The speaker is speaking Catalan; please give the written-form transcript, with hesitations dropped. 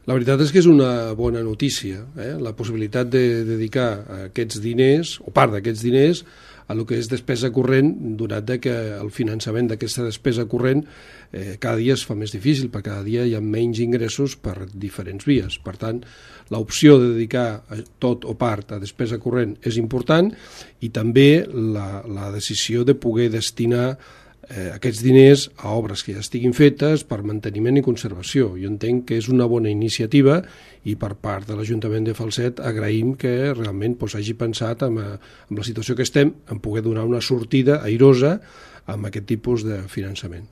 La veritat és que és una bona notícia, la possibilitat de dedicar aquests diners, o part d'aquests diners, a el que és despesa corrent, donat que el finançament d'aquesta despesa corrent cada dia es fa més difícil, perquè cada dia hi ha menys ingressos per diferents vies. Per tant, l'opció de dedicar tot o part a despesa corrent és important, i també la decisió de poder destinar aquests diners a obres que ja estiguin fetes per manteniment i conservació. Jo entenc que és una bona iniciativa, i per part de l'Ajuntament de Falset agraïm que realment hagi pensat en la situació que estem, en poder donar una sortida airosa amb aquest tipus de finançament.